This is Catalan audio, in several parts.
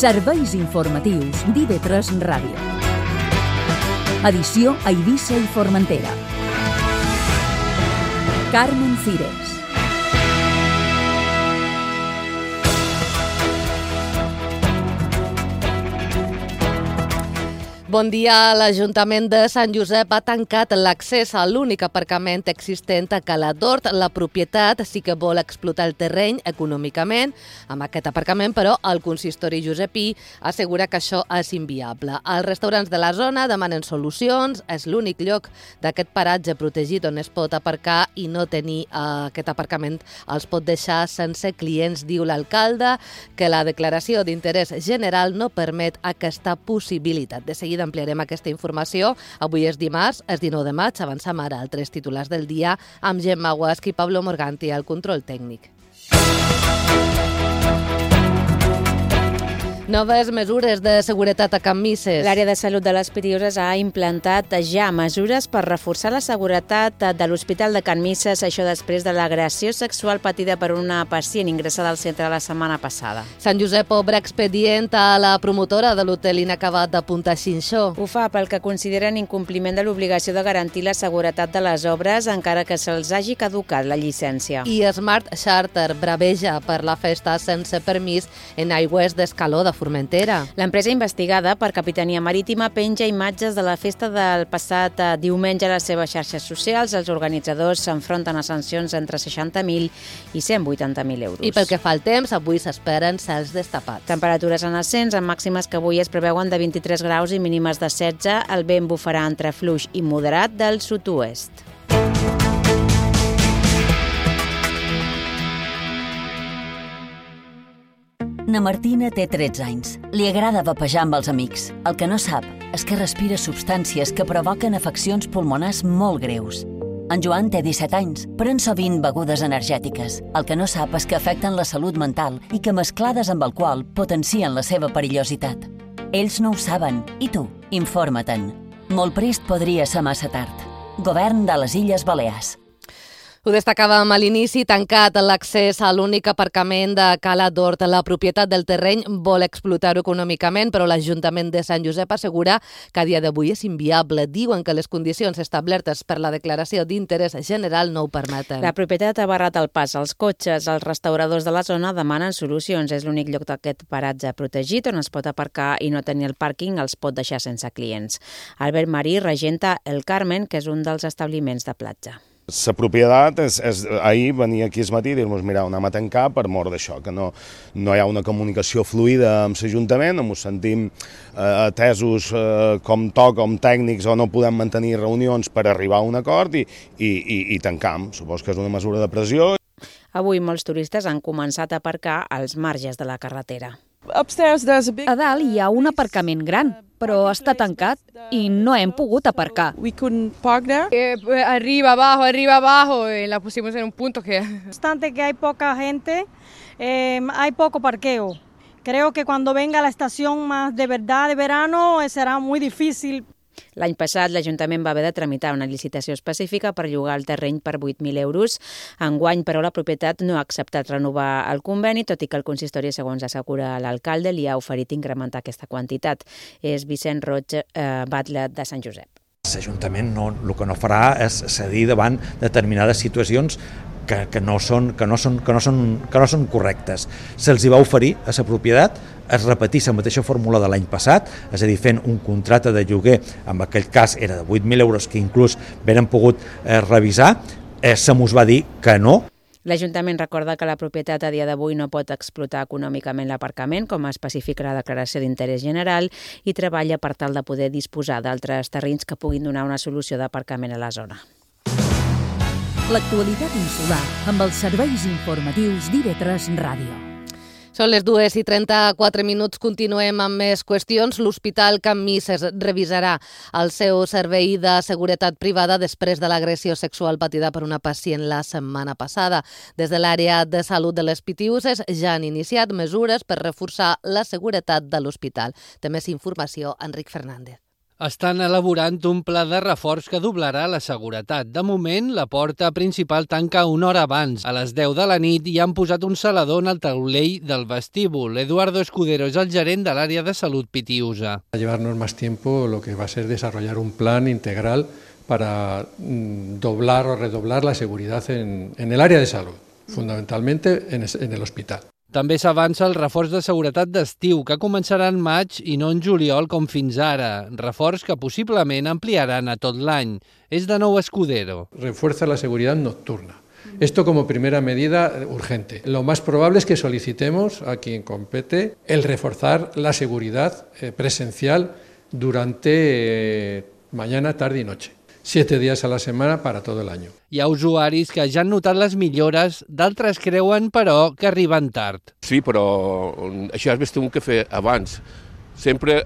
Serveis informatius d'IV3 Ràdio. Edició a Eivissa i Formentera. Carmen Cires. Bon dia. L'Ajuntament de Sant Josep ha tancat l'accés a l'únic aparcament existent a Cala d'Hort. La propietat sí que vol explotar el terreny econòmicament amb aquest aparcament, però el consistori josepí assegura que això és inviable. Els restaurants de la zona demanen solucions. És l'únic lloc d'aquest paratge protegit on es pot aparcar i no tenir aquest aparcament els pot deixar sense clients, diu l'alcalde, que la declaració d'interès general no permet aquesta possibilitat. De seguida ampliarem aquesta informació. Avui és dimarts, és 19 de maig. Avancem ara als 3 titulars del dia amb Gemma Guasc i Pablo Morganti al control tècnic. Noves mesures de seguretat a Can Misses. L'àrea de salut de les Pitiüses ha implantat ja mesures per reforçar la seguretat de l'Hospital de Can Misses, això després de l'agressió sexual patida per una pacient ingressada al centre la setmana passada. Sant Josep obre expedient a la promotora de l'hotel inacabat de Punta Xinxó. Ho fa pel que consideren incompliment de l'obligació de garantir la seguretat de les obres, encara que se'ls hagi caducat la llicència. I Smart Charter braveja per la festa sense permís en aigües d'Escaló de Formentera. L'empresa investigada per Capitania Marítima penja imatges de la festa del passat diumenge a les seves xarxes socials. Els organitzadors s'enfronten a sancions entre 60.000 i 180.000 euros. I pel que fa al temps, avui s'esperen cels destapats. Temperatures en ascens, amb màximes que avui es preveuen de 23 graus i mínimes de 16. El vent bufarà entre fluix i moderat del sud-oest. Na Martina té 13 anys. Li agrada vapejar amb els amics. El que no sap és que respira substàncies que provoquen afeccions pulmonars molt greus. En Joan té 17 anys, pren sovint begudes energètiques. El que no sap és que afecten la salut mental i que mesclades amb alcohol potencien la seva perillositat. Ells no ho saben. I tu? Informa-te'n. Molt prest podria ser massa tard. Govern de les Illes Balears. Ho destacàvem a l'inici, tancat l'accés a l'únic aparcament de Cala d'Hort. La propietat del terreny vol explotar-ho econòmicament, però l'Ajuntament de Sant Josep assegura que a dia d'avui és inviable. Diuen que les condicions establertes per la declaració d'interès general no ho permeten. La propietat ha barrat el pas als cotxes. Els restauradors de la zona demanen solucions. És l'únic lloc d'aquest paratge protegit on es pot aparcar i no tenir el pàrquing els pot deixar sense clients. Albert Marí regenta el Carmen, que és un dels establiments de platja. La propietat, ahir venia aquí al matí i dir-nos, mira, anem a tancar per mort d'això, que no hi ha una comunicació fluida amb l'Ajuntament, ens sentim atesos com toca, com tècnics, o no podem mantenir reunions per arribar a un acord i tancam. Suposo que és una mesura de pressió. Avui molts turistes han començat a aparcar als marges de la carretera. A dalt hi ha un aparcament gran, però està tancat i no hem pogut aparcar. Arriba, abajo, la pusimos en un punto que... Obstante que hay poca gente, hay poco parqueo. Creo que cuando venga la estación más de verdad de verano será muy difícil. L'any passat l'Ajuntament va haver de tramitar una licitació específica per llogar el terreny per 8.000 euros. Enguany, però, la propietat no ha acceptat renovar el conveni, tot i que el consistori, segons assegura l'alcalde, li ha oferit incrementar aquesta quantitat. És Vicent Roig, batlle de Sant Josep. L'Ajuntament el que no farà és cedir davant determinades situacions que no són correctes. Se'ls va oferir a la propietat es repetís la mateixa fórmula de l'any passat, és a dir, fent un contracte de lloguer, en aquell cas era de 8.000 euros, que inclús veren pogut revisar, se mos va dir que no. L'Ajuntament recorda que la propietat a dia d'avui no pot explotar econòmicament l'aparcament, com especifica la declaració d'interès general, i treballa per tal de poder disposar d'altres terrenys que puguin donar una solució d'aparcament a la zona. L'actualitat insular amb els serveis informatius d'IV3 Ràdio. Són les 2:34. Continuem amb més qüestions. L'Hospital Can Misses revisarà el seu servei de seguretat privada després de l'agressió sexual patida per una pacient la setmana passada. Des de l'àrea de salut de les Pitiüses ja han iniciat mesures per reforçar la seguretat de l'hospital. Té més informació Enric Fernández. Estan elaborant un pla de reforç que doblarà la seguretat. De moment, la porta principal tanca una hora abans. A les 10 de la nit hi han posat un salador en el taulell del vestíbul. Eduardo Escudero és el gerent de l'àrea de salut Pitiusa. A llevarnos más tiempo lo que va a ser desarrollar un plan integral para doblar o redoblar la seguridad en el área de salud, fundamentalmente en el hospital. També s'avança el reforç de seguretat d'estiu, que començarà en maig i no en juliol com fins ara. Reforç que possiblement ampliaran a tot l'any. És de nou Escudero. Refuerza la seguridad nocturna. Esto como primera medida urgente. Lo más probable es que solicitemos a quien compete el reforzar la seguridad presencial durante mañana, tarde y noche. 7 días a la setmana para tot l'any. Hi ha usuaris que ja han notat les millores, d'altres creuen, però, que arriben tard. Sí, però això has tingut que fer abans. Sempre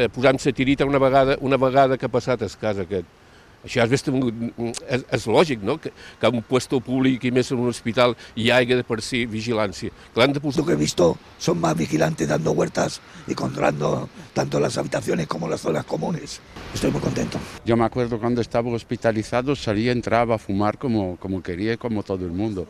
posant-se tirita una vegada que ha passat a casa aquest. Això és lògic, no?, que en un puesto públic i més en un hospital hi hagi de per si vigilància. Lo que he visto son más vigilantes dando vueltas y controlando tanto las habitaciones como las zonas comunes. Estoy muy contento. Yo me acuerdo cuando estaba hospitalizado, salía, entraba a fumar como quería, como todo el mundo.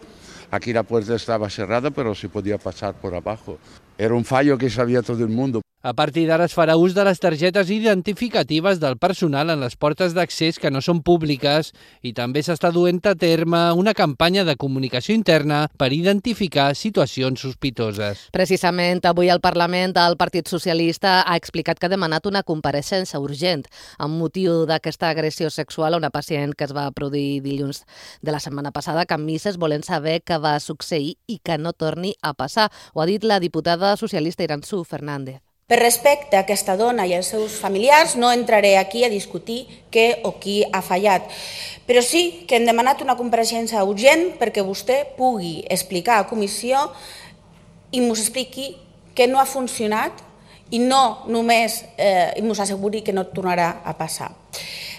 Aquí la puerta estaba cerrada, pero se podía pasar por abajo. Era un fallo que sabía todo el mundo. A partir d'ara es farà ús de les targetes identificatives del personal en les portes d'accés que no són públiques i també s'està duent a terme una campanya de comunicació interna per identificar situacions sospitoses. Precisament avui el Parlament del Partit Socialista ha explicat que ha demanat una compareixença urgent amb motiu d'aquesta agressió sexual a una pacient que es va produir dilluns de la setmana passada a Can Misses, volent saber què va succeir i que no torni a passar. Ho ha dit la diputada socialista Iranzu Fernández. Per respecte a aquesta dona i als seus familiars, no entraré aquí a discutir què o qui ha fallat. Però sí que hem demanat una compareixença urgent perquè vostè pugui explicar a comissió i ens expliqui què no ha funcionat i no només ens asseguri que no tornarà a passar.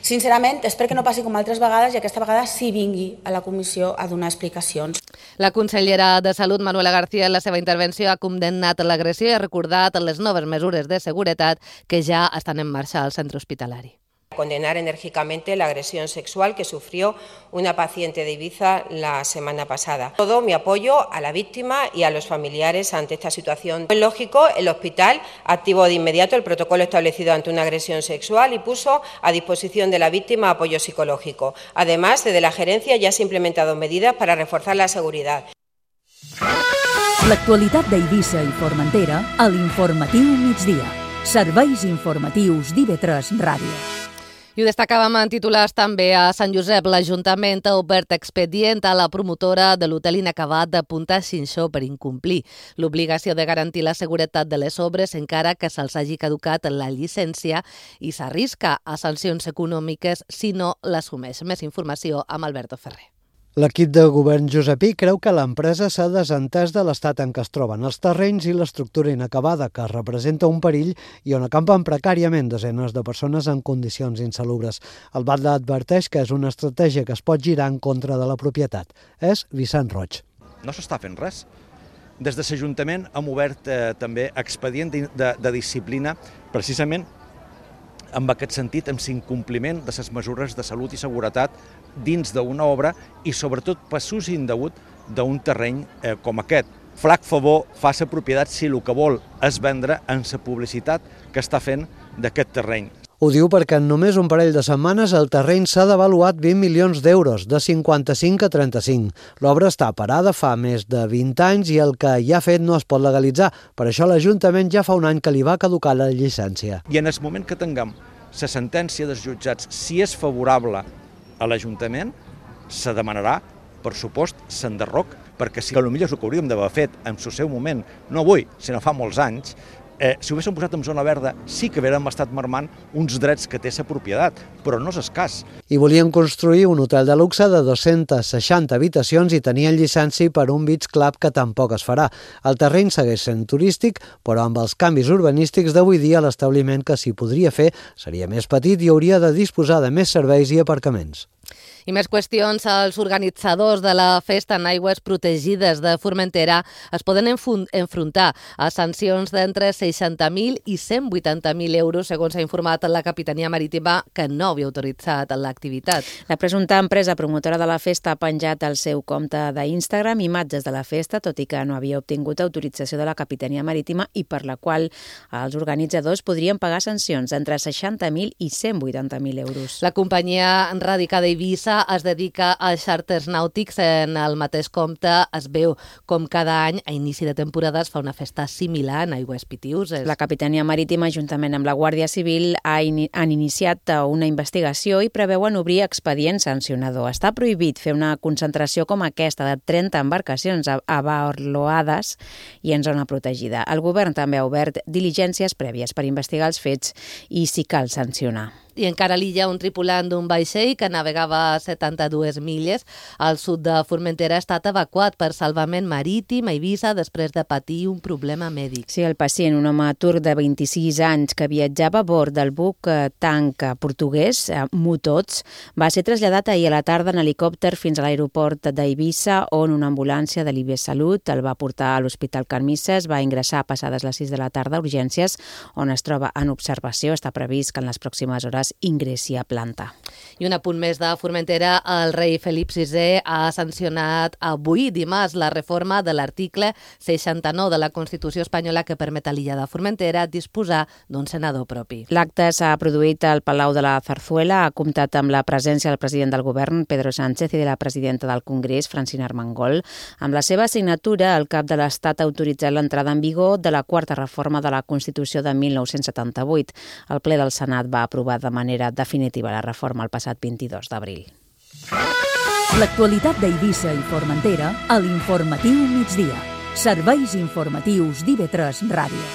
Sincerament, espero que no passi com altres vegades i aquesta vegada sí vingui a la comissió a donar explicacions. La consellera de Salut, Manuela García, en la seva intervenció ha condemnat l'agressió i ha recordat les noves mesures de seguretat que ja estan en marxa al centre hospitalari. Condenar enérgicamente la agresión sexual que sufrió una paciente de Ibiza la semana pasada. Todo mi apoyo a la víctima y a los familiares ante esta situación. Es lógico, el hospital activó de inmediato el protocolo establecido ante una agresión sexual y puso a disposición de la víctima apoyo psicológico. Además, desde la gerencia ya se han implementado medidas para reforzar la seguridad. L'actualitat d'Eivissa i Formentera a l'Informatiu Migdia. Serveis informatius d'IV3 Ràdio. I ho destacàvem en titulars també a Sant Josep. L'Ajuntament ha obert expedient a la promotora de l'hotel inacabat de Punta Xinxó per incomplir l'obligació de garantir la seguretat de les obres encara que se'ls hagi caducat la llicència i s'arrisca a sancions econòmiques si no l'assumeix. Més informació amb Alberto Ferrer. L'equip de govern josepí creu que l'empresa s'ha desentès de l'estat en què es troben els terrenys i l'estructura inacabada, que representa un perill i on acampen precàriament desenes de persones en condicions insalubres. El batlle adverteix que és una estratègia que es pot girar en contra de la propietat. És Vicent Roig. No s'està fent res. Des de l'Ajuntament hem obert també expedient de disciplina precisament en aquest sentit, amb l'incompliment de les mesures de salut i seguretat dins d'una obra i sobretot per l'ús indegut d'un terreny com aquest. Flac favor fa la propietat si el que vol és vendre en la publicitat que està fent d'aquest terreny. Ho diu perquè en només un parell de setmanes el terreny s'ha devaluat 20 milions d'euros, de 55 a 35. L'obra està parada fa més de 20 anys i el que hi ha fet no es pot legalitzar. Per això l'Ajuntament ja fa un any que li va caducar la llicència. I en el moment que tinguem la sentència dels jutjats, si és favorable a l'Ajuntament, se demanarà, per supost, s'enderroc, perquè si potser és el que hauríem d'haver fet en el seu moment, no avui, sinó fa molts anys, si ho haguéssim posat en zona verda, sí que haguérem estat marmant uns drets que té la propietat, però no és el cas. I volien construir un hotel de luxe de 260 habitacions i tenien llicència per un beach club que tampoc es farà. El terreny segueix sent turístic, però amb els canvis urbanístics d'avui dia l'establiment que s'hi podria fer seria més petit i hauria de disposar de més serveis i aparcaments. I més qüestions. Els organitzadors de la festa en aigües protegides de Formentera es poden enfrontar a sancions d'entre 60.000 i 180.000 euros, segons ha informat la Capitania Marítima, que no havia autoritzat l'activitat. La presumpta empresa promotora de la festa ha penjat al seu compte d'Instagram imatges de la festa, tot i que no havia obtingut autorització de la Capitania Marítima i per la qual els organitzadors podrien pagar sancions d'entre 60.000 i 180.000 euros. La companyia radicada a Eivissa es dedica a xàrters nàutics. En el mateix compte es veu com cada any a inici de temporada es fa una festa similar en aigües Pitiuses. La Capitania Marítima, juntament amb la Guàrdia Civil, han iniciat una investigació i preveuen obrir expedient sancionador. Està prohibit fer una concentració com aquesta de 30 embarcacions avaluades i en zona protegida. El govern també ha obert diligències prèvies per investigar els fets i, si cal, sancionar. I encara a l'illa, un tripulant d'un vaixell que navegava 72 milles al sud de Formentera ha estat evacuat per salvament marítim a Eivissa després de patir un problema mèdic. Sí, el pacient, un home turc de 26 anys que viatjava a bord del buc tanc portuguès Motots, va ser traslladat ahir a la tarda en helicòpter fins a l'aeroport d'Eivissa, on una ambulància de l'IB Salut el va portar a l'Hospital Can Misses, va ingressar passades les 6 de la tarda a urgències, on es troba en observació. Està previst que en les pròximes hores ingressi a planta. I un apunt més de Formentera. El rei Felip VI ha sancionat avui, dimarts, la reforma de l'article 69 de la Constitució espanyola que permet a l'illa de Formentera disposar d'un senador propi. L'acte s'ha produït al Palau de la Zarzuela, ha comptat amb la presència del president del govern, Pedro Sánchez, i de la presidenta del Congrés, Francina Armengol. Amb la seva signatura, el cap de l'Estat ha autoritzat l'entrada en vigor de la quarta reforma de la Constitució de 1978. El ple del Senat va aprovar de manera definitiva la reforma el passat 22 d'abril. L'actualitat d'Eivissa i Formentera a l'Informatiu Migdia. Serveis informatius d'IV3 Ràdio.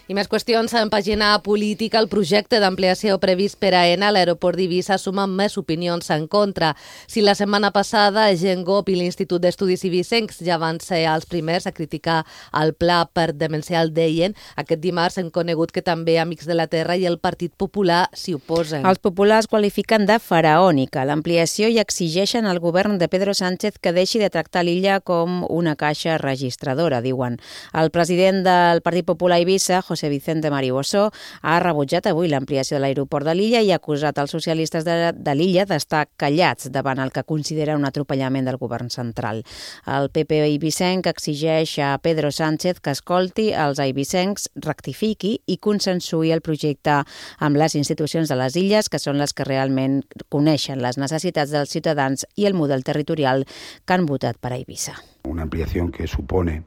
I més qüestions en pàgina política. El projecte d'ampliació previst per a ENA a l'aeroport d'Eivissa suma més opinions en contra. Si la setmana passada Gengop i l'Institut d'Estudis Eivissencs ja van ser els primers a criticar el pla per demencial deien, aquest dimarts hem conegut que també Amics de la Terra i el Partit Popular s'hi oposen. Els populars qualifiquen de faraònica l'ampliació i exigeixen al govern de Pedro Sánchez que deixi de tractar l'illa com una caixa registradora, diuen. El president del Partit Popular a Eivissa, José Vicente Mariboso, ha rebutjat avui l'ampliació de l'aeroport de l'illa i ha acusat els socialistes de l'illa d'estar callats davant el que considera un atropellament del govern central. El PP eivissenc exigeix a Pedro Sánchez que escolti els eivissencs, rectifiqui i consensuï el projecte amb les institucions de les illes, que són les que realment coneixen les necessitats dels ciutadans i el model territorial que han votat per a Eivissa. Una ampliación que supone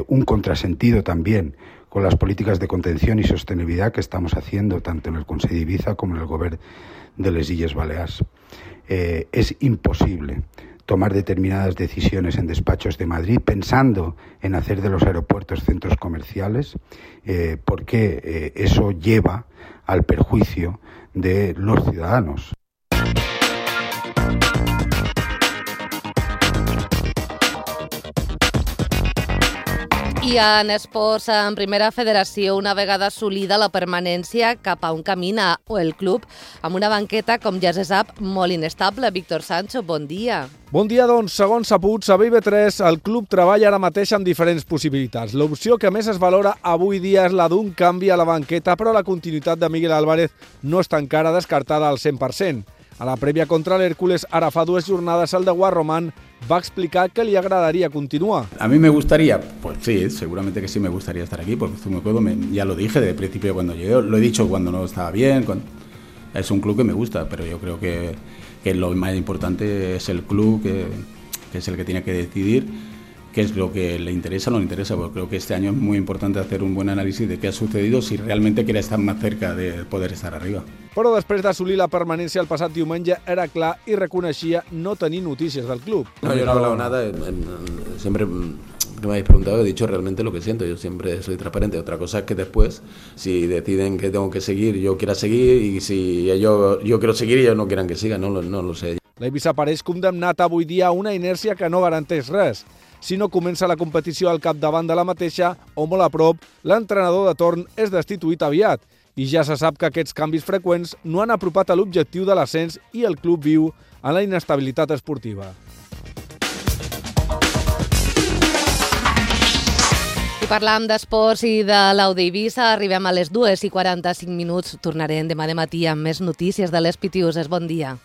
un contrasentido también con las políticas de contención y sostenibilidad que estamos haciendo tanto en el Consell d'Eivissa como en el Govern de les Illes Balears. Es imposible tomar determinadas decisiones en despachos de Madrid pensando en hacer de los aeropuertos centros comerciales porque eso lleva al perjuicio de los ciudadanos. I en esports, en primera federació, una vegada assolida la permanència, cap a on camina el club, amb una banqueta, com ja se sap, molt inestable. Víctor Sancho, bon dia. Bon dia, doncs. Segons saputs, a IB3 el club treballa ara mateix amb diferents possibilitats. L'opció que més es valora avui dia és la d'un canvi a la banqueta, però la continuïtat de Miguel Álvarez no està encara descartada al 100%. A la prèvia contra l'Hércules, ara fa 2 jornades, el de Guarromán va explicar que li agradaría continuar. A mí me gustaría, pues sí, seguramente que sí me gustaría estar aquí, porque ya lo dije desde el principio cuando llegué, lo he dicho cuando no estaba bien, es un club que me gusta, pero yo creo que lo más importante es el club, que es el que tiene que decidir qué es lo que le interesa o no le interesa, porque creo que este año es muy importante hacer un buen análisis de qué ha sucedido si realmente quiere estar más cerca de poder estar arriba. Però després d'assolir la permanència el passat diumenge era clar i reconeixia no tenir notícies del club. No, yo no he hablado nada, siempre que me habéis preguntado he dicho realmente lo que siento, yo siempre soy transparente. Otra cosa es que después, si deciden que tengo que seguir, yo quiera seguir, y si yo quiero seguir y ellos no quieran que siga, no lo sé. L'Eivissa apareix condemnat avui dia a una inèrcia que no garanteix res. Si no comença la competició al capdavant de la mateixa, o molt a prop, l'entrenador de torn és destituït aviat. I ja se sap que aquests canvis freqüents no han apropat a l'objectiu de l'ascens i el club viu en la inestabilitat esportiva. I parlam d'esports i de l'Audi Ibiza. Arribem a les 2:45. Tornarem demà de matí amb més notícies de les Pitiuses. Bon dia.